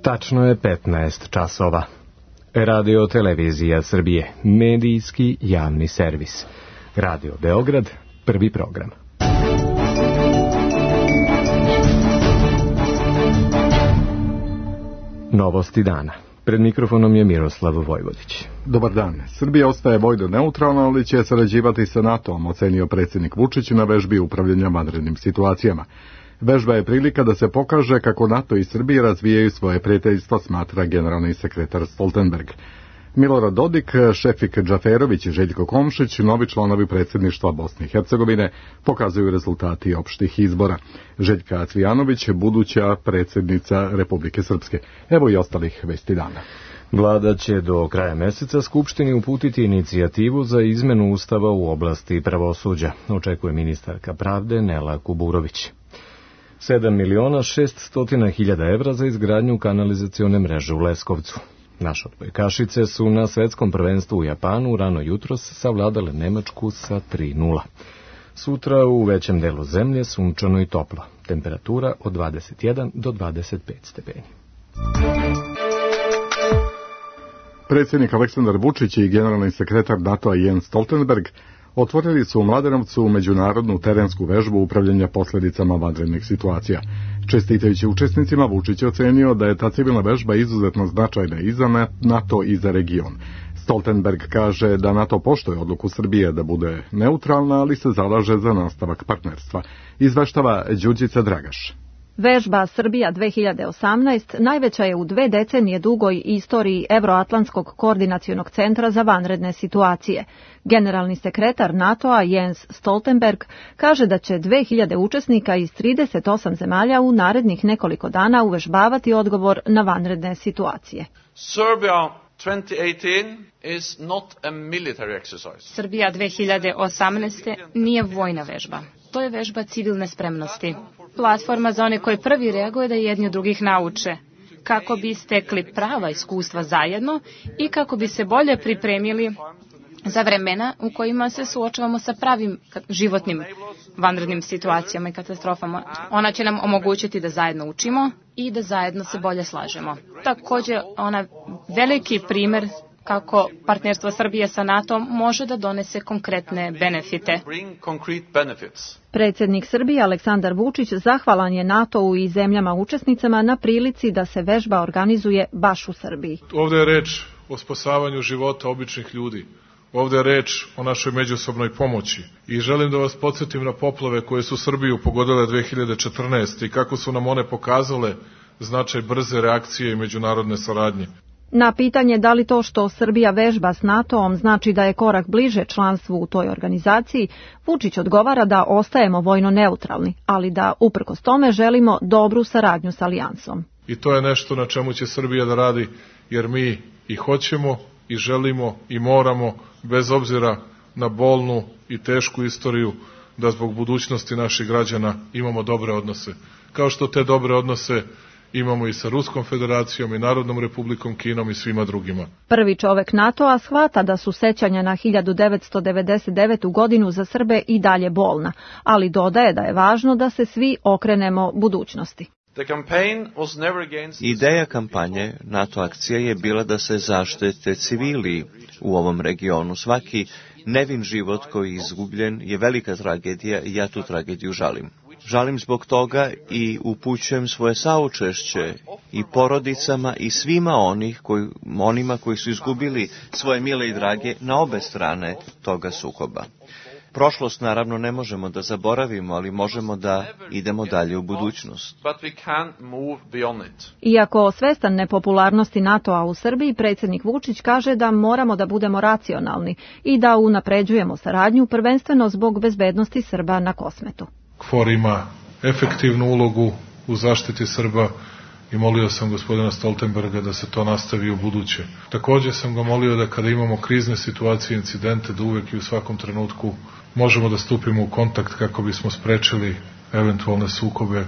Tačno je 15 časova. Radio Televizija Srbije, medijski javni servis. Radio Beograd, prvi program. Novosti dana. Pred mikrofonom je Miroslav Vojvodić. Dobar dan. Srbija ostaje vojno neutralna, ali će sarađivati sa NATO-om, ocenio predsjednik Vučić na vežbi upravljanja vanrednim situacijama. Vežba je prilika da se pokaže kako NATO i Srbija razvijaju svoje prijateljstvo, smatra generalni sekretar Stoltenberg. Milorad Dodik, Šefik Džaferović i Željko Komšić, novi članovi predsjedništva Bosne i Hercegovine, pokazuju rezultati opštih izbora. Željka Cvijanović, buduća predsjednica Republike Srpske. Evo i ostalih vesti dana. Vlada će do kraja meseca Skupštini uputiti inicijativu za izmenu Ustava u oblasti pravosuđa, očekuje ministarka pravde Nela Kuburović. 7.600.000 evra za izgradnju kanalizacione mreže u Leskovcu. Naše odbojkašice su na svetskom prvenstvu u Japanu rano jutros savladale Nemačku sa 3:0. Sutra u većem delu zemlje sunčano i toplo. Temperatura od 21 do 25 stepeni. Predsjednik Aleksandar Vučić i generalni sekretar NATO-a Jens Stoltenberg otvorili su u Mladenovcu međunarodnu terensku vežbu upravljanja posljedicama vanrednih situacija. Čestitajući učesnicima, Vučić je ocenio da je ta civilna vežba izuzetno značajna i za NATO i za region. Stoltenberg kaže da NATO poštuje odluku Srbije da bude neutralna, ali se zalaže za nastavak partnerstva. Izveštava Đurđica Dragaš. Vežba Srbija 2018 najveća je u 2 decenije dugoj istoriji Evroatlantskog koordinacionog centra za vanredne situacije. Generalni sekretar NATO-a Jens Stoltenberg kaže da će 2000 učesnika iz 38 zemalja u narednih nekoliko dana uvežbavati odgovor na vanredne situacije. Serbia 2018 is not a military exercise. Srbija 2018 nije vojna vežba. To je vežba civilne spremnosti. Platforma za one koji prvi reaguju da jedni od drugih nauče, kako bi stekli prava iskustva zajedno i kako bi se bolje pripremili za vremena u kojima se suočavamo sa pravim životnim vanrednim situacijama i katastrofama. Ona će nam omogućiti da zajedno učimo i da zajedno se bolje slažemo. Također, ona veliki primjer kako partnerstvo Srbije sa NATO može da donese konkretne benefite. Predsjednik Srbije Aleksandar Vučić zahvalan je NATO-u i zemljama učesnicama na prilici da se vežba organizuje baš u Srbiji. Ovdje je reč o spasavanju života običnih ljudi. Ovdje je reč o našoj međusobnoj pomoći. I želim da vas podsjetim na poplave koje su Srbiju pogodile 2014. i kako su nam one pokazale značaj brze reakcije i međunarodne saradnje. Na pitanje da li to što Srbija vežba s NATO-om znači da je korak bliže članstvu u toj organizaciji, Vučić odgovara da ostajemo vojno neutralni, ali da uprkos tome želimo dobru saradnju s alijansom. I to je nešto na čemu će Srbija da radi, jer mi i hoćemo i želimo i moramo, bez obzira na bolnu i tešku istoriju, da zbog budućnosti naših građana imamo dobre odnose. Kao što te dobre odnose imamo i sa Ruskom federacijom i Narodnom republikom Kinom i svima drugima. Prvi čovek NATO-a shvata da su sećanja na 1999. godinu za Srbe i dalje bolna, ali dodaje da je važno da se svi okrenemo budućnosti. Ideja kampanje NATO akcije je bila da se zaštite civili u ovom regionu. Svaki nevin život koji je izgubljen je velika tragedija i ja tu tragediju žalim. Žalim zbog toga i upućujem svoje saučešće i porodicama i svima onima koji su izgubili svoje mile i drage na obe strane toga sukoba. Prošlost naravno ne možemo da zaboravimo, ali možemo da idemo dalje u budućnost. Iako svestan nepopularnosti NATO-a u Srbiji, predsjednik Vučić kaže da moramo da budemo racionalni i da unapređujemo saradnju prvenstveno zbog bezbednosti Srba na Kosmetu. KFOR ima efektivnu ulogu u zaštiti Srba i molio sam gospodina Stoltenberga da se to nastavi u buduće. Također sam ga molio da kada imamo krizne situacije, incidente, da uvek i u svakom trenutku možemo da stupimo u kontakt kako bismo sprečili eventualne sukobe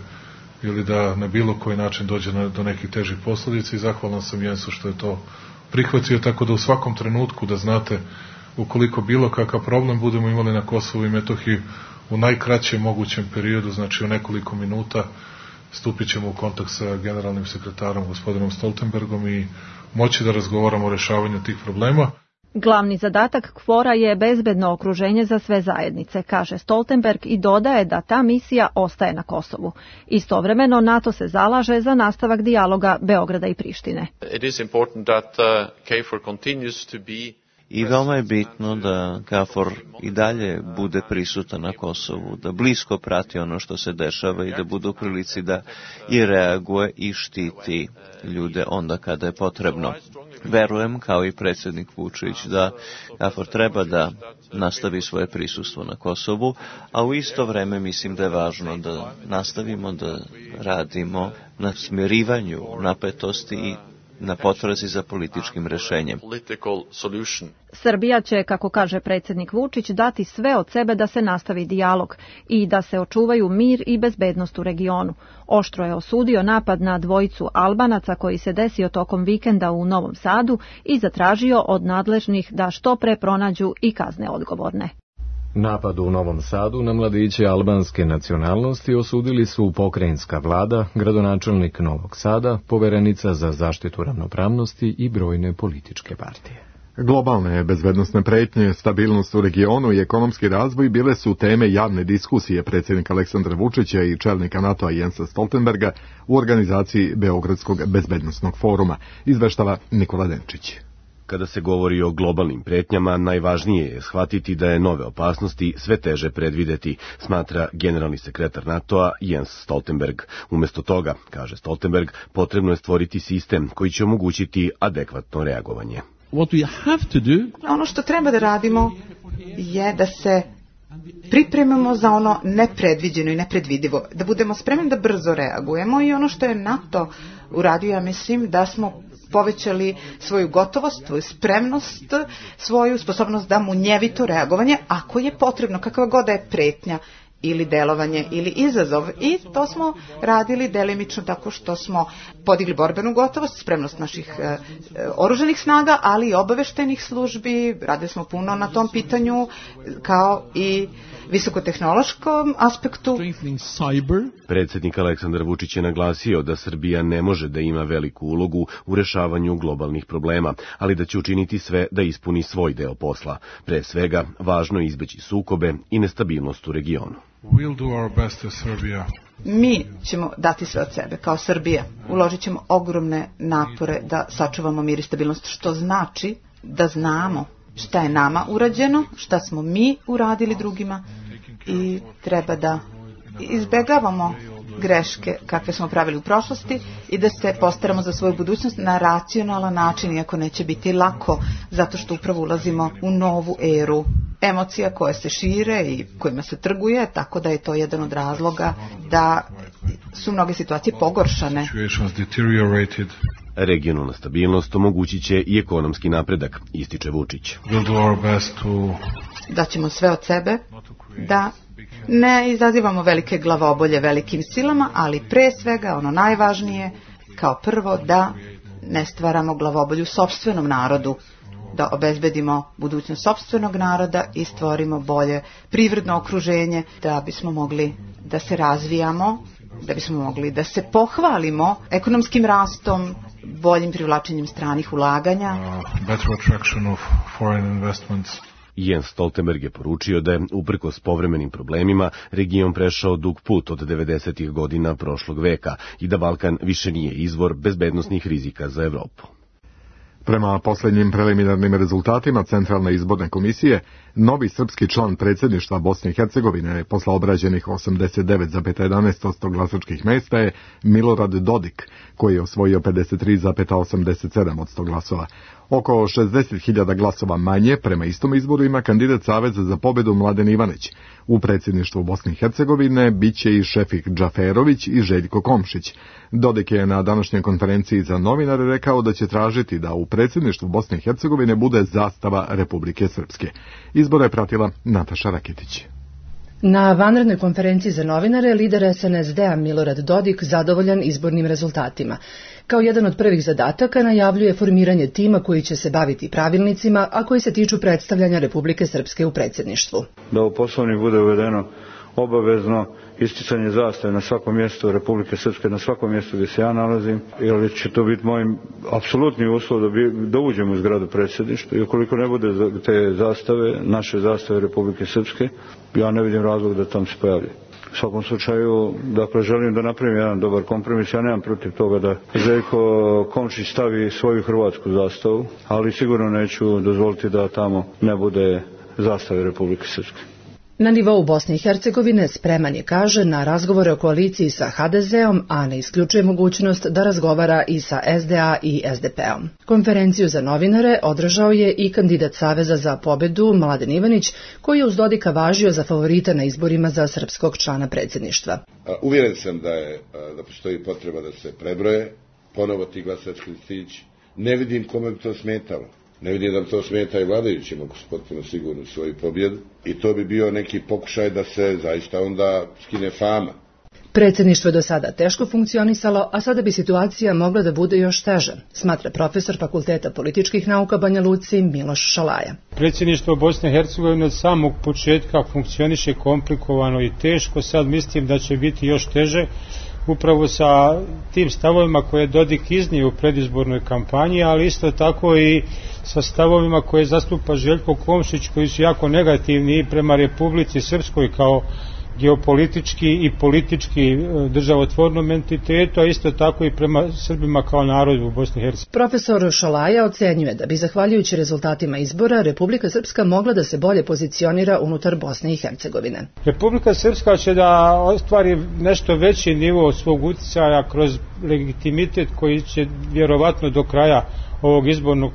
ili da na bilo koji način dođe do nekih težih posljedica i zahvalan sam Jensu što je to prihvatio, tako da u svakom trenutku da znate ukoliko bilo kakav problem budemo imali na Kosovu i Metohiji u najkraćem mogućem periodu, znači u nekoliko minuta, stupit ćemo u kontakt sa generalnim sekretarom gospodinom Stoltenbergom i moći da razgovaramo o rešavanju tih problema. Glavni zadatak KFOR-a je bezbedno okruženje za sve zajednice, kaže Stoltenberg i dodaje da ta misija ostaje na Kosovu. Istovremeno NATO se zalaže za nastavak dijaloga Beograda i Prištine. It is important that KFOR continues to be. I veoma je bitno da KFOR i dalje bude prisutan na Kosovu, da blisko prati ono što se dešava i da bude u prilici da i reaguje i štiti ljude onda kada je potrebno. Verujem, kao i predsjednik Vučić, da KFOR treba da nastavi svoje prisustvo na Kosovu, a u isto vreme mislim da je važno da nastavimo da radimo na smirivanju napetosti i na potrazi za političkim rešenjem. Srbija će, kako kaže predsjednik Vučić, dati sve od sebe da se nastavi dijalog i da se očuvaju mir i bezbednost u regionu. Oštro je osudio napad na dvojicu Albanaca koji se desio tokom vikenda u Novom Sadu i zatražio od nadležnih da što pre pronađu i kazne odgovorne. Napad u Novom Sadu na mladiće albanske nacionalnosti osudili su pokrajinska vlada, gradonačelnik Novog Sada, poverenica za zaštitu ravnopravnosti i brojne političke partije. Globalne bezbednosne pretnje, stabilnost u regionu i ekonomski razvoj bile su teme javne diskusije predsjednika Aleksandra Vučića i čelnika NATO-a Jensa Stoltenberga u organizaciji Beogradskog bezbednosnog foruma, izveštava Nikola Denčić. Kada se govori o globalnim pretnjama, najvažnije je shvatiti da je nove opasnosti sve teže predvideti, smatra generalni sekretar NATO-a Jens Stoltenberg. Umjesto toga, kaže Stoltenberg, potrebno je stvoriti sistem koji će omogućiti adekvatno reagovanje. Ono što treba da radimo je da se pripremamo za ono nepredviđeno i nepredvidivo, da budemo spremni da brzo reagujemo i ono što je NATO uradio, ja mislim da smo povećali svoju gotovost, svoju spremnost, svoju sposobnost da munjevito reagovanje, ako je potrebno, kakva god da je pretnja ili delovanje ili izazov. I to smo radili delimično tako što smo podigli borbenu gotovost, spremnost naših oružanih snaga, ali i obaveštajnih službi. Radili smo puno na tom pitanju, kao i visokotehnološkom aspektu. Predsjednik Aleksandar Vučić je naglasio da Srbija ne može da ima veliku ulogu u rešavanju globalnih problema, ali da će učiniti sve da ispuni svoj deo posla. Pre svega, važno je izbeći sukobe i nestabilnost u regionu. Mi ćemo dati sve od sebe, kao Srbija. Uložit ćemo ogromne napore da sačuvamo mir i stabilnost, što znači da znamo šta je nama urađeno, šta smo mi uradili drugima i treba da izbegavamo greške kakve smo pravili u prošlosti i da se postaramo za svoju budućnost na racionalan način, iako neće biti lako, zato što upravo ulazimo u novu eru emocija koje se šire i kojima se trguje, tako da je to jedan od razloga da su mnoge situacije pogoršane. Regionalna stabilnost omogućit će i ekonomski napredak, ističe Vučić. Da ćemo sve od sebe da ne izazivamo velike glavobolje velikim silama, ali pre svega ono najvažnije, kao prvo da ne stvaramo glavobolju sopstvenom narodu, da obezbedimo budućnost sopstvenog naroda i stvorimo bolje privredno okruženje, da bismo mogli da se razvijamo, da bismo mogli da se pohvalimo ekonomskim rastom, boljim privlačenjem stranih ulaganja. Jens Stoltenberg je poručio da je, uprkos povremenim problemima, region prešao dug put od 90. godina prošlog veka i da Balkan više nije izvor bezbednosnih rizika za Evropu. Prema posljednjim preliminarnim rezultatima Centralne izborne komisije, novi srpski član predsjedništva Bosne i Hercegovine posle obrađenih 89,11% glasačkih mesta je Milorad Dodik, koji je osvojio 53,87% glasova. Oko 60.000 glasova manje prema istom izboru ima kandidat Saveza za pobedu Mladen Ivanić. U predsjedništvu Bosne i Hercegovine biće i Šefik Džaferović i Željko Komšić. Dodik je na današnjoj konferenciji za novinare rekao da će tražiti da u predsjedništvu Bosne i Hercegovine bude zastava Republike Srpske. Izbore je pratila Nataša Raketić. Na vanrednoj konferenciji za novinare lider SNSD-a Milorad Dodik zadovoljan izbornim rezultatima. Kao jedan od prvih zadataka najavljuje formiranje tima koji će se baviti pravilnicima, a koji se tiču predstavljanja Republike Srpske u predsjedništvu. Da u Poslovnik bude uvedeno obavezno isticanje zastave na svakom mjestu Republike Srpske, na svakom mjestu gdje se ja nalazim, jer će to biti moj apsolutni uslov da uđem u zgradu predsjedništva i ukoliko ne bude te zastave, naše zastave Republike Srpske, ja ne vidim razlog da tam se pojavlja. U svakom slučaju, dakle, želim da napravim jedan dobar kompromis. Ja nemam protiv toga da Željko Komšić stavi svoju hrvatsku zastavu, ali sigurno neću dozvoliti da tamo ne bude zastave Republike Srpske. Na nivou Bosne i Hercegovine spreman je, kaže, na razgovore o koaliciji sa HDZ-om, a ne isključuje mogućnost da razgovara i sa SDA i SDP-om. Konferenciju za novinare održao je i kandidat Saveza za pobedu Mladen Ivanić, koji je uz Dodika važio za favorita na izborima za srpskog člana predsjedništva. Uvjeren sam da postoji potreba da se prebroje ponovo ti glasački listići. Ne vidim kome bi to smetalo. Ne vidim da to smeta i vladajućima, ako su potpuno sigurni u svoju pobjedu. I to bi bio neki pokušaj da se zaista onda skine fama. Predsjedništvo je do sada teško funkcionisalo, a sada bi situacija mogla da bude još teža, smatra profesor Fakulteta političkih nauka Banja Luci Miloš Šalaja. Predsjedništvo Bosne i Hercegovine od samog početka funkcioniše komplikovano i teško, sad mislim da će biti još teže, upravo sa tim stavovima koje je Dodik iznio u predizbornoj kampanji, ali isto tako i sa stavovima koje zastupa Željko Komšić, koji su jako negativni i prema Republici Srpskoj kao geopolitički i politički državotvornom entitetu, a isto tako i prema Srbima kao narodu u Bosni i Hercegovini. Profesor Šalaja ocenjuje da bi, zahvaljujući rezultatima izbora, Republika Srpska mogla da se bolje pozicionira unutar Bosne i Hercegovine. Republika Srpska će da ostvari nešto veći nivo svog uticaja kroz legitimitet koji će vjerovatno do kraja ovog izbornog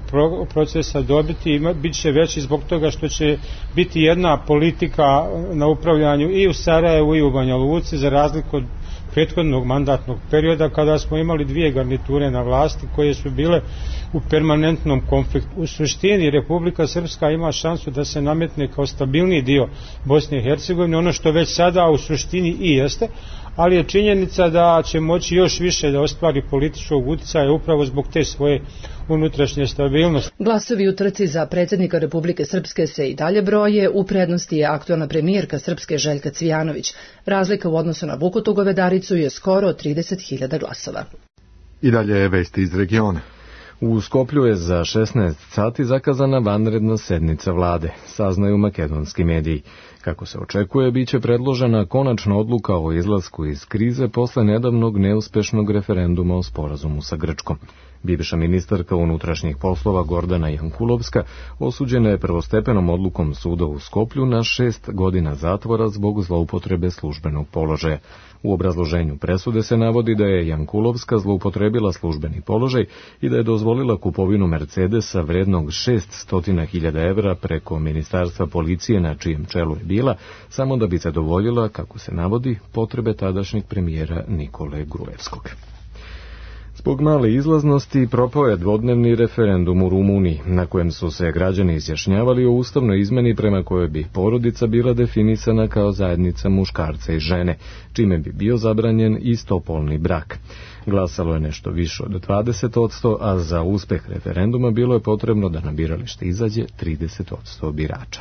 procesa dobiti i bit će veći zbog toga što će biti jedna politika na upravljanju i u Sarajevu i u Banja Luci, za razliku od prethodnog mandatnog perioda kada smo imali dvije garniture na vlasti koje su bile u permanentnom konfliktu. U suštini Republika Srpska ima šansu da se nametne kao stabilniji dio Bosne i Hercegovine, ono što već sada u suštini i jeste, ali je činjenica da će moći još više da ostvari političkog uticaja upravo zbog te svoje unutrašnje stabilnosti. Glasovi u trci za predsjednika Republike Srpske se i dalje broje, u prednosti je aktualna premijerka Srpske Željka Cvijanović. Razlika u odnosu na Vukutu Govedaricu je skoro 30.000 glasova. I dalje je vesti iz regiona. U Skoplju je za 16 sati zakazana vanredna sednica vlade, saznaju makedonski mediji. Kako se očekuje, biće predložena konačna odluka o izlasku iz krize posle nedavnog neuspešnog referenduma o sporazumu sa Grčkom. Bivša ministarka unutrašnjih poslova Gordana Jankulovska osuđena je prvostepenom odlukom suda u Skoplju na 6 godina zatvora zbog zloupotrebe službenog položaja. U obrazloženju presude se navodi da je Jankulovska zloupotrebila službeni položaj i da je dozvolila kupovinu Mercedesa vrednog 600.000 evra preko Ministarstva policije na čijem čelu je bila, samo da bi zadovoljila, kako se navodi, potrebe tadašnjeg premijera Nikole Gruevskog. Zbog male izlaznosti propao je dvodnevni referendum u Rumuniji, na kojem su se građani izjašnjavali o ustavnoj izmeni prema kojoj bi porodica bila definisana kao zajednica muškarca i žene, čime bi bio zabranjen istopolni brak. Glasalo je nešto više od 20%, a za uspeh referenduma bilo je potrebno da na biralište izađe 30% birača.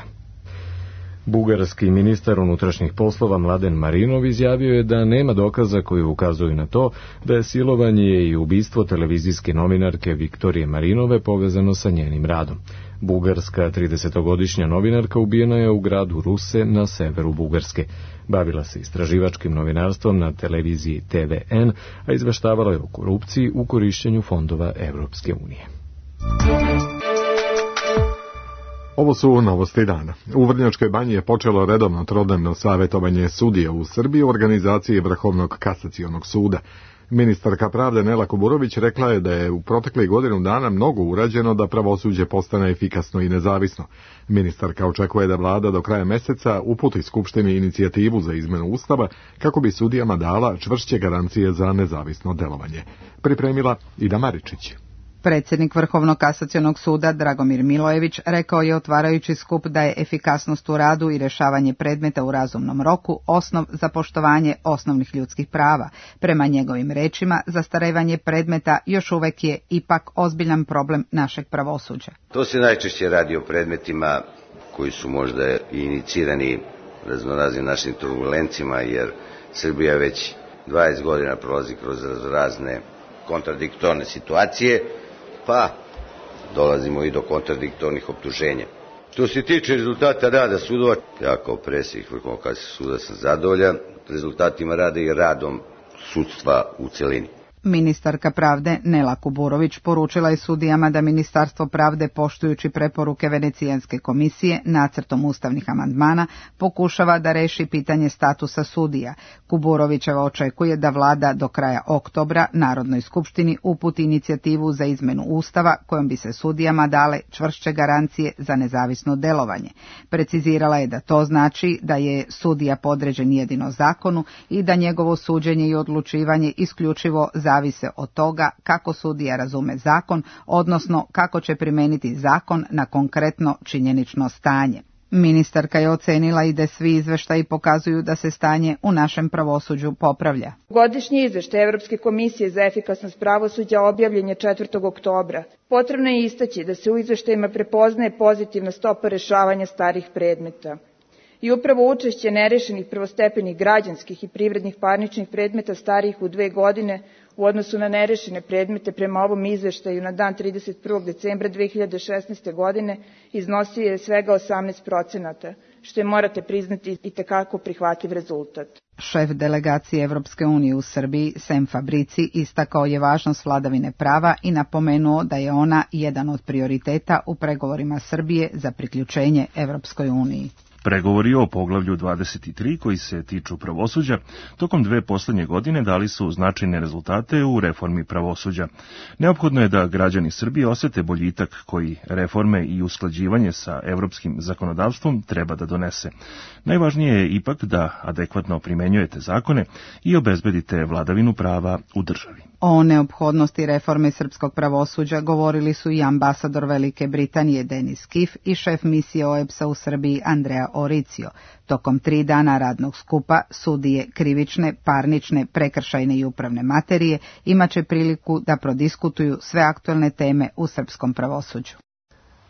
Bugarski ministar unutrašnjih poslova Mladen Marinov izjavio je da nema dokaza koji ukazuju na to da je silovanje i ubistvo televizijske novinarke Viktorije Marinove povezano sa njenim radom. Bugarska 30-godišnja novinarka ubijena je u gradu Ruse na severu Bugarske. Bavila se istraživačkim novinarstvom na televiziji TVN, a izveštavala je o korupciji u korišćenju fondova Evropske unije. Ovo su novosti dana. U Vrnjačkoj banji je počelo redovno trodnevno savjetovanje sudija u Srbiji u organizaciji Vrhovnog kasacionog suda. Ministarka pravde Nela Kuburović rekla je da je u proteklih godinu dana mnogo urađeno da pravosuđe postane efikasno i nezavisno. Ministarka očekuje da vlada do kraja meseca uputi Skupštini inicijativu za izmenu Ustava kako bi sudijama dala čvršće garancije za nezavisno delovanje. Pripremila Ida Maričić. Predsjednik Vrhovnog kasacionog suda Dragomir Milojević rekao je otvarajući skup da je efikasnost u radu i rješavanje predmeta u razumnom roku osnov za poštovanje osnovnih ljudskih prava. Prema njegovim rečima, zastarevanje predmeta još uvek je ipak ozbiljan problem našeg pravosuđa. To se najčešće radi o predmetima koji su možda inicirani raznoraznim našim turbulencima, jer Srbija već 20 godina prolazi kroz razne kontradiktorne situacije, pa dolazimo i do kontradiktornih optuženja. Što se tiče rezultata rada sudova, ja kao predsjednik Vrhovnog kasacionog suda sam zadovoljan rezultatima rada i radom sudstva u celini. Ministarka pravde Nela Kuburović poručila je sudijama da Ministarstvo pravde, poštujući preporuke Venecijanske komisije nacrtom ustavnih amandmana, pokušava da reši pitanje statusa sudija. Kuburovićeva očekuje da vlada do kraja oktobra Narodnoj skupštini uputi inicijativu za izmenu ustava kojom bi se sudijama dale čvršće garancije za nezavisno delovanje. Precizirala je da to znači da je sudija podređen jedino zakonu i da njegovo suđenje i odlučivanje isključivo zavise od toga kako sudija razume zakon, odnosno kako će primeniti zakon na konkretno činjenično stanje. Ministarka je ocenila i da svi izveštaji pokazuju da se stanje u našem pravosuđu popravlja. Godišnji izveštaj Evropske komisije za efikasnost pravosuđa objavljen je 4. oktobra. Potrebno je istaći da se u izveštajima prepoznaje pozitivna stopa rešavanja starih predmeta. I upravo učešće nerešenih prvostepenih građanskih i privrednih parničnih predmeta starijih u 2 godine u odnosu na nerešene predmete prema ovom izveštaju na dan 31. decembra 2016. godine iznosio je svega 18%, što je, morate priznati, itekako prihvatljiv rezultat. Šef delegacije Evropske unije u Srbiji, Sem Fabrici, istakao je važnost vladavine prava i napomenuo da je ona jedan od prioriteta u pregovorima Srbije za priključenje Evropskoj uniji. Pregovori o poglavlju 23 koji se tiču pravosuđa tokom 2 poslednje godine dali su značajne rezultate u reformi pravosuđa. Neophodno je da građani Srbije osete boljitak koji reforme i usklađivanje sa evropskim zakonodavstvom treba da donese. Najvažnije je ipak da adekvatno primenjujete zakone i obezbedite vladavinu prava u državi. O neophodnosti reforme srpskog pravosuđa govorili su i ambasador Velike Britanije Denis Kif i šef misije OEBS-a u Srbiji Andrea Oricio. Tokom 3 dana radnog skupa sudije krivične, parnične, prekršajne i upravne materije imaće priliku da prodiskutuju sve aktuelne teme u srpskom pravosuđu.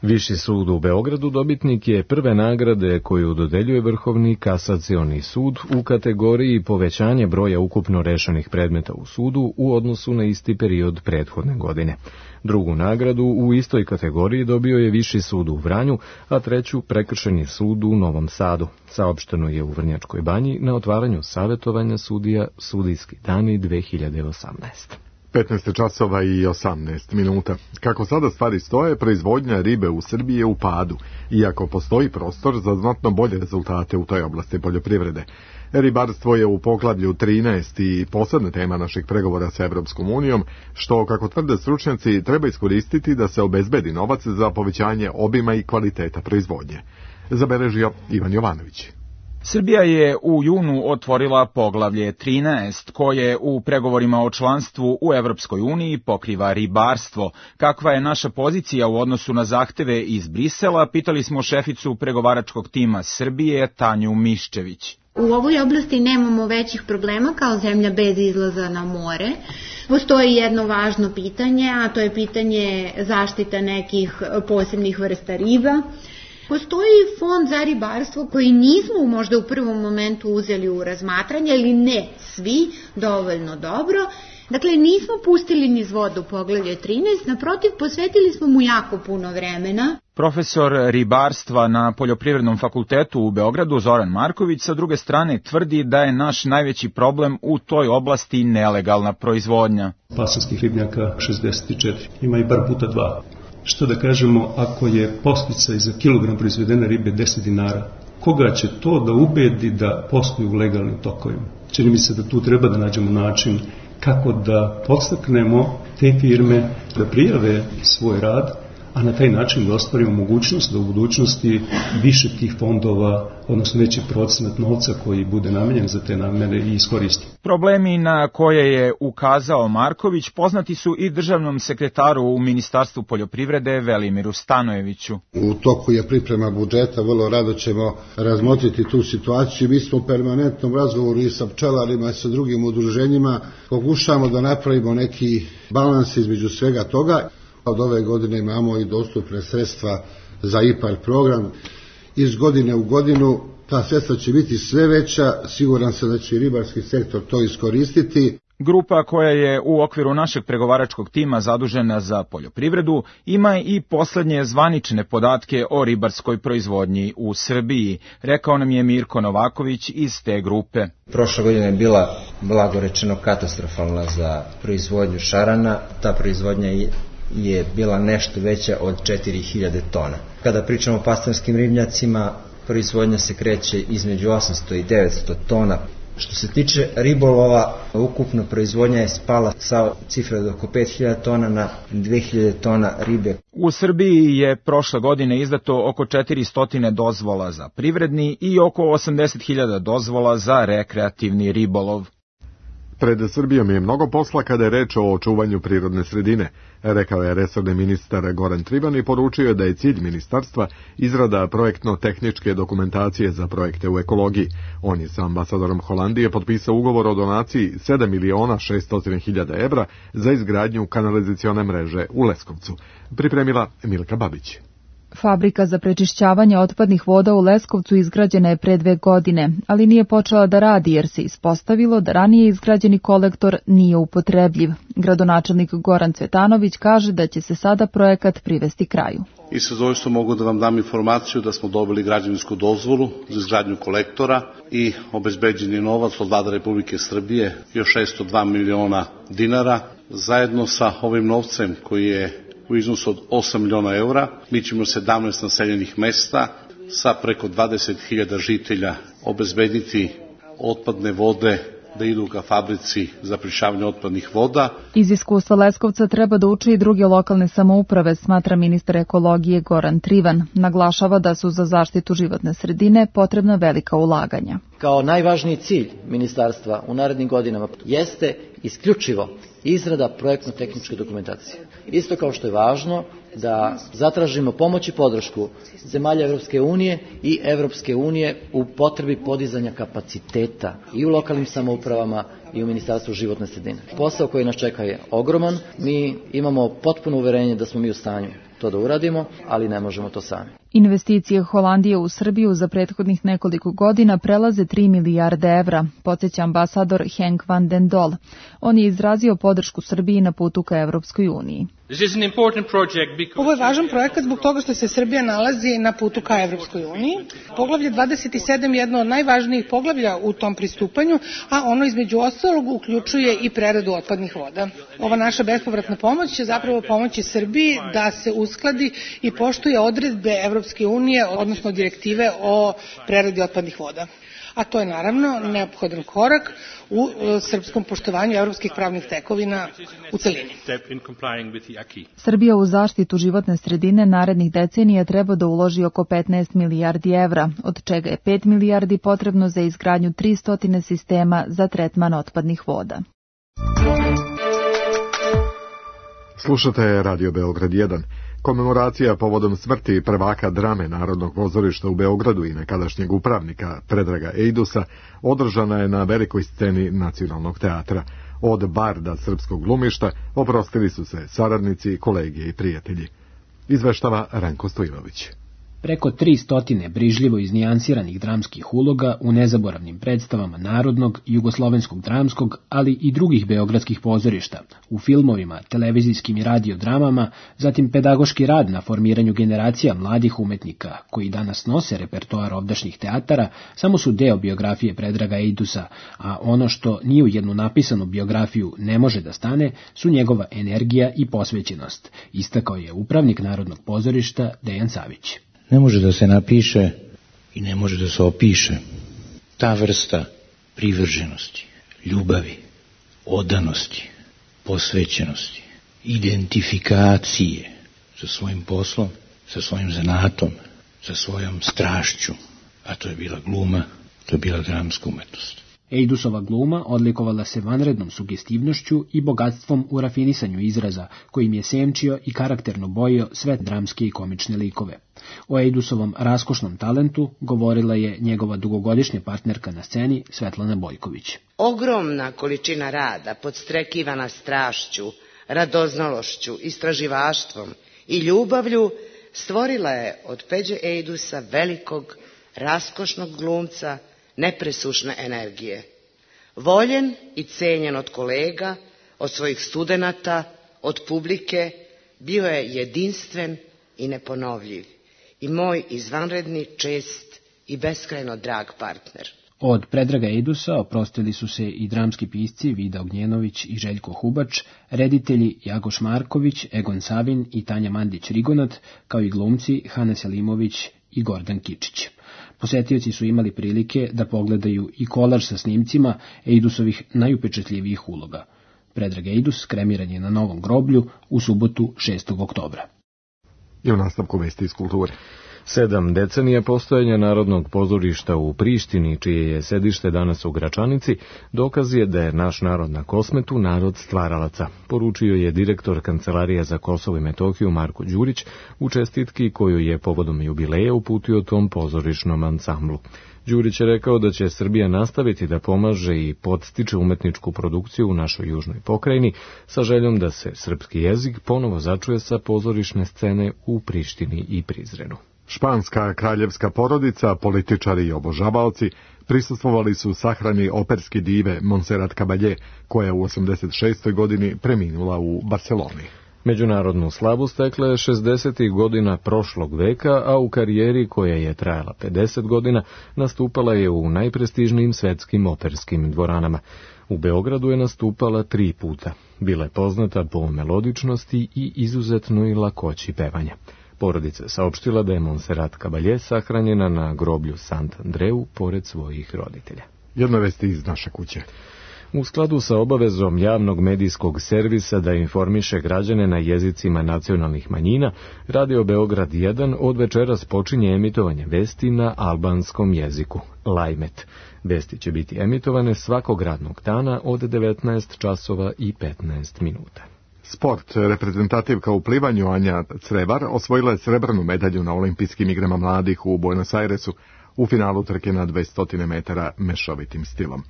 Viši sud u Beogradu dobitnik je prve nagrade koju dodeljuje Vrhovni kasacioni sud u kategoriji povećanje broja ukupno rešenih predmeta u sudu u odnosu na isti period prethodne godine. Drugu nagradu u istoj kategoriji dobio je Viši sud u Vranju, a treću Prekršajni sud u Novom Sadu. Saopšteno je u Vrnjačkoj Banji na otvaranju savetovanja sudija Sudijski dani 2018. 15 časova i 18 minuta. Kako sada stvari stoje, proizvodnja ribe u Srbiji je u padu, iako postoji prostor za znatno bolje rezultate u toj oblasti poljoprivrede. Ribarstvo je u poglavlju 13 i posebna tema naših pregovora sa Evropskom unijom, što, kako tvrde stručnjaci, treba iskoristiti da se obezbedi novac za povećanje obima i kvaliteta proizvodnje. Zabeležio Ivan Jovanović. Srbija je u junu otvorila poglavlje 13, koje u pregovorima o članstvu u Evropskoj uniji pokriva ribarstvo. Kakva je naša pozicija u odnosu na zahteve iz Brisela, pitali smo šeficu pregovaračkog tima Srbije, Tanju Miščević. U ovoj oblasti nemamo većih problema kao zemlja bez izlaza na more. Postoji jedno važno pitanje, a to je pitanje zaštita nekih posebnih vrsta riba. Postoji fond za ribarstvo koji nismo možda u prvom momentu uzeli u razmatranje, ali ne svi dovoljno dobro. Dakle, nismo pustili niz vodu poglavlje 13, naprotiv, posvetili smo mu jako puno vremena. Profesor ribarstva na Poljoprivrednom fakultetu u Beogradu, Zoran Marković, sa druge strane tvrdi da je naš najveći problem u toj oblasti nelegalna proizvodnja. Pasanskih ribnjaka 64, ima i par puta 2. Što da kažemo, ako je podsticaj za kilogram proizvedene ribe 10 dinara, koga će to da ubedi da posluju u legalnim tokovima? Čini mi se da tu treba da nađemo način kako da podstaknemo te firme da prijave svoj rad, a na taj način da ostvarimo mogućnost da u budućnosti više tih fondova, odnosno veći procenat novca koji bude namenjen za te namene i iskoristi. Problemi na koje je ukazao Marković poznati su i državnom sekretaru u Ministarstvu poljoprivrede Velimiru Stanojeviću. U toku je priprema budžeta, vrlo rado ćemo razmotriti tu situaciju. Mi smo u permanentnom razgovoru i sa pčelarima i sa drugim udruženjima. Pokušamo da napravimo neki balans između svega toga. Od ove godine imamo i dostupne sredstva za IPARD program. Iz godine u godinu ta sredstva će biti sve veća, siguran sam da će i ribarski sektor to iskoristiti. Grupa koja je u okviru našeg pregovaračkog tima zadužena za poljoprivredu ima i poslednje zvanične podatke o ribarskoj proizvodnji u Srbiji, rekao nam je Mirko Novaković iz te grupe. Prošla godina je bila, blago rečeno, katastrofalna za proizvodnju šarana. Ta proizvodnja je bila nešto veća od 4000 tona. Kada pričamo o pastrvanskim ribnjacima, proizvodnja se kreće između 800 i 900 tona. Što se tiče ribolova, ukupna proizvodnja je spala sa cifre od oko 5000 tona na 2000 tona ribe. U Srbiji je prošle godine izdato oko 400 dozvola za privredni i oko 80.000 dozvola za rekreativni ribolov. Pred Srbijom je mnogo posla kada je reč o očuvanju prirodne sredine, rekao je resorni ministar Goran Trivan i poručio je da je cilj ministarstva izrada projektno-tehničke dokumentacije za projekte u ekologiji. On je sa ambasadorom Holandije potpisao ugovor o donaciji 7.600.000 evra za izgradnju kanalizacione mreže u Leskovcu. Pripremila Milka Babić. Fabrika za prečišćavanje otpadnih voda u Leskovcu izgrađena je pre 2 godine, ali nije počela da radi jer se ispostavilo da ranije izgrađeni kolektor nije upotrebljiv. Gradonačelnik Goran Cvetanović kaže da će se sada projekat privesti kraju. I sa zadovoljstvom mogu da vam dam informaciju da smo dobili građevinsku dozvolu za izgradnju kolektora i obezbeđen je novac od Vlade Republike Srbije, još 602 miliona dinara. Zajedno sa ovim novcem koji je u iznosu od 8 miliona eura, mi ćemo 17 naseljenih mesta sa preko 20.000 žitelja obezbediti otpadne vode da idu ka fabrici za prečišćavanje otpadnih voda. Iz iskustva Leskovca treba da uči i druge lokalne samouprave, smatra ministar ekologije Goran Trivan. Naglašava da su za zaštitu životne sredine potrebna velika ulaganja. Kao najvažniji cilj ministarstva u narednim godinama jeste isključivo izrada projektno-tehničke dokumentacije. Isto kao što je važno da zatražimo pomoć i podršku zemalja Evropske unije i Evropske unije u potrebi podizanja kapaciteta i u lokalnim samoupravama i u Ministarstvu životne sredine. Posao koji nas čeka je ogroman, mi imamo potpuno uverenje da smo mi u stanju to da uradimo, ali ne možemo to sami. Investicije Holandije u Srbiju za prethodnih nekoliko godina prelaze 3 milijarde evra, podsjeća ambasador Henk van den Dol. On je izrazio podršku Srbiji na putu ka Evropskoj uniji. Ovo je važan projekat zbog toga što se Srbija nalazi na putu ka Evropskoj uniji. Poglavlje 27 je jedno od najvažnijih poglavlja u tom pristupanju, a ono između ostalog uključuje i preradu otpadnih voda. Ova naša bespovratna pomoć će zapravo pomoći Srbiji da se uskladi i poštuje odredbe Evropske unije, odnosno direktive o preradi otpadnih voda. A to je naravno neophodan korak u srpskom poštovanju evropskih pravnih tekovina u celini. Srbija u zaštitu životne sredine narednih decenija treba da uloži oko 15 milijardi evra, od čega je 5 milijardi potrebno za izgradnju 300 sistema za tretman otpadnih voda. Slušate Radio Beograd 1. Komemoracija povodom smrti prvaka drame Narodnog pozorišta u Beogradu i nekadašnjeg upravnika Predraga Ejdusa održana je na velikoj sceni Nacionalnog teatra. Od barda srpskog glumišta oprostili su se saradnici, kolege i prijatelji. Izveštava Ranko Stojinović. Preko 300 brižljivo iznijansiranih dramskih uloga u nezaboravnim predstavama narodnog, jugoslovenskog dramskog, ali i drugih beogradskih pozorišta, u filmovima, televizijskim i radiodramama, zatim pedagoški rad na formiranju generacija mladih umetnika, koji danas nose repertoar ovdašnjih teatara, samo su deo biografije Predraga Ejdusa, a ono što ni u jednu napisanu biografiju ne može da stane, su njegova energija i posvećenost, istakao je upravnik Narodnog pozorišta Dejan Savić. Ne može da se napiše i ne može da se opiše ta vrsta privrženosti, ljubavi, odanosti, posvećenosti, identifikacije sa svojim poslom, sa svojim zanatom, sa svojom strašću, a to je bila gluma, to je bila dramska umetnost. Ejdusova gluma odlikovala se vanrednom sugestivnošću i bogatstvom u rafinisanju izraza, kojim je senčio i karakterno bojio sve dramske i komične likove. O Ejdusovom raskošnom talentu govorila je njegova dugogodišnja partnerka na sceni Svetlana Bojković. Ogromna količina rada, podstrekivana strašću, radoznalošću, istraživaštvom i ljubavlju, stvorila je od Peđe Ejdusa velikog raskošnog glumca nepresušne energije. Voljen i cenjen od kolega, od svojih studenata, od publike, bio je jedinstven i neponovljiv i moj izvanredni, čest i beskrajno drag partner. Od Predraga Eidusa oprostili su se i dramski pisci Vida Ognjenović i Željko Hubač, reditelji Jagoš Marković, Egon Savin i Tanja Mandić-Rigonat, kao i glumci Hana Selimović i Gordan Kičić. Posetioci su imali prilike da pogledaju i kolaž sa snimcima Eidusovih najupečatljivijih uloga. Predrag Eidus kremiran je na Novom groblju u subotu 6. oktobra. I u nastavku vesti iz kulture. 7 decenija postojanja Narodnog pozorišta u Prištini, čije je sedište danas u Gračanici, dokaz je da je naš narod na Kosmetu narod stvaralaca, poručio je direktor Kancelarije za Kosovo i Metohiju Marko Đurić u čestitki koju je povodom jubileja uputio tom pozorišnom ansamblu. Đurić je rekao da će Srbija nastaviti da pomaže i podstiče umetničku produkciju u našoj južnoj pokrajini sa željom da se srpski jezik ponovo začuje sa pozorišne scene u Prištini i Prizrenu. Španska kraljevska porodica, političari i obožavaoci prisustvovali su sahrani operske dive Montserrat Caballé, koja je u 86. godini preminula u Barceloni. Međunarodnu slavu stekla je 60. godina prošlog veka, a u karijeri koja je trajala 50 godina nastupala je u najprestižnijim svetskim operskim dvoranama. U Beogradu je nastupala 3 puta. Bila je poznata po melodičnosti i izuzetnoj lakoći pevanja. Porodica saopštila da je Montserrat Caballé sahranjena na groblju Sant Andreu pored svojih roditelja. Jedno vesti iz naše kuće. U skladu sa obavezom javnog medijskog servisa da informiše građane na jezicima nacionalnih manjina, Radio Beograd 1 od večeras počinje emitovanje vesti na albanskom jeziku, Lajmet. Vesti će biti emitovane svakog radnog dana od 19 časova i 15 minuta. Sport. Reprezentativka u plivanju Anja Crevar osvojila je srebrnu medalju na olimpijskim igrama mladih u Buenos Airesu u finalu trke na 200 metara mešovitim stilom.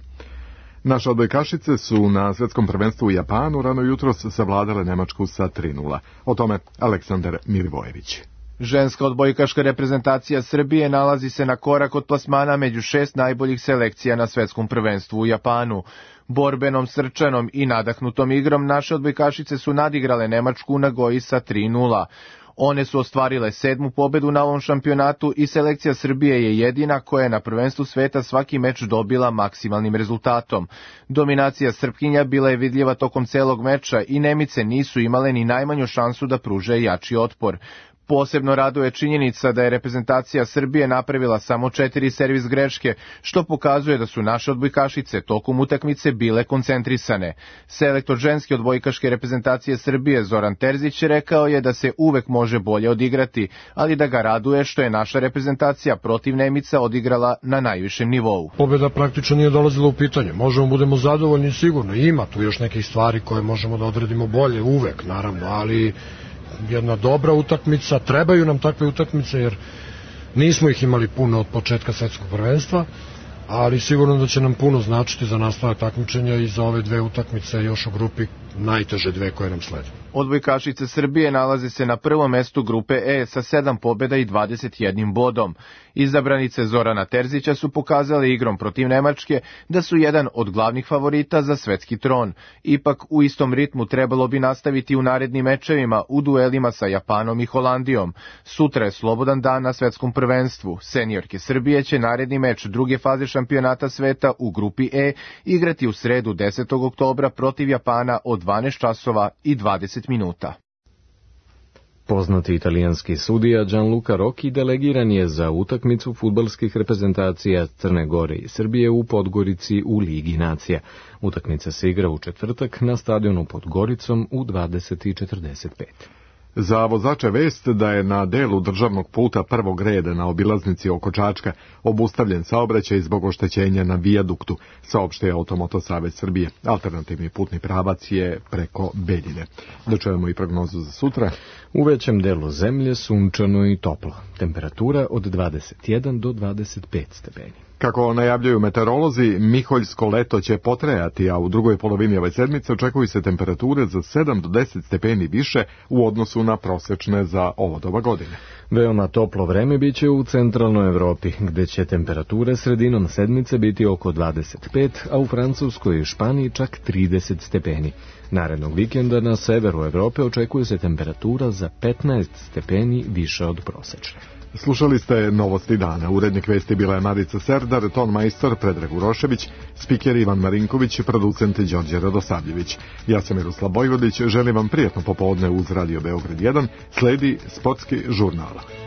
Naše odbojkašice su na svetskom prvenstvu u Japanu rano jutros savladale Nemačku sa 3:0. O tome Aleksandar Milivojević. Ženska odbojkaška reprezentacija Srbije nalazi se na korak od plasmana među 6 najboljih selekcija na svetskom prvenstvu u Japanu. Borbenom, srčanom i nadahnutom igrom naše odbojkašice su nadigrale Nemačku u Nagoji sa 3:0. One su ostvarile 7. pobedu na ovom šampionatu i selekcija Srbije je jedina koja je na prvenstvu sveta svaki meč dobila maksimalnim rezultatom. Dominacija Srpkinja bila je vidljiva tokom celog meča i Nemice nisu imale ni najmanju šansu da pruže jači otpor. Posebno raduje činjenica da je reprezentacija Srbije napravila samo 4 servis greške, što pokazuje da su naše odbojkašice tokom utakmice bile koncentrisane. Selektor ženske odbojkaške reprezentacije Srbije Zoran Terzić rekao je da se uvek može bolje odigrati, ali da ga raduje što je naša reprezentacija protiv Nemica odigrala na najvišem nivou. Pobjeda praktično nije dolazila u pitanje. Možemo budemo zadovoljni sigurno. Ima tu još nekih stvari koje možemo da odradimo bolje, uvek naravno, ali jedna dobra utakmica, trebaju nam takve utakmice jer nismo ih imali puno od početka svetskog prvenstva, ali sigurno da će nam puno značiti za nastavak takmičenja i za ove 2 utakmice još u grupi, najteže 2 koje nam slede. Odbojkašice Srbije nalaze se na prvom mestu grupe E sa 7 pobjeda i 21 bodom. Izabranice Zorana Terzića su pokazale igrom protiv Nemačke da su jedan od glavnih favorita za svetski tron. Ipak u istom ritmu trebalo bi nastaviti u narednim mečevima u duelima sa Japanom i Holandijom. Sutra je slobodan dan na svetskom prvenstvu. Seniorke Srbije će naredni meč druge faze šampionata sveta u grupi E igrati u sredu 10. oktobra protiv Japana od 12 časova i 20 minuta. Poznati italijanski sudija Gianluca Rocchi delegiran je za utakmicu fudbalskih reprezentacija Crne Gore i Srbije u Podgorici u Ligi nacija. Utakmica se igra u četvrtak na stadionu pod Goricom u 20:45. Za vozače vest da je na delu državnog puta prvog reda na obilaznici oko Čačka obustavljen saobraćaj zbog oštećenja na vijaduktu, saopštio Automoto Savez Srbije. Alternativni putni pravac je preko Beljine. Da čujemo i prognozu za sutra. U većem delu zemlje sunčano i toplo. Temperatura od 21 do 25 stepeni. Kako najavljuju meteorolozi, miholjsko leto će potrajati, a u drugoj polovini ove sedmice očekuju se temperature za 7 do 10 stepeni više u odnosu na prosečne za ovo doba godine. Veoma toplo vreme biće u centralnoj Evropi, gde će temperature sredinom sedmice biti oko 25, a u Francuskoj i Španiji čak 30 stepeni. Narednog vikenda na severu Evrope očekuje se temperatura za 15 stepeni više od prosečne. Slušali ste Novosti dana. Urednik vesti bila je Marica Serdar, ton majstor Predrag Urošević, spiker Ivan Marinković, producent Đorđe Radosavljević. Ja sam Miroslav Bojvodić, želim vam prijatno popodne uz Radio Beograd 1, sledi sportski žurnal.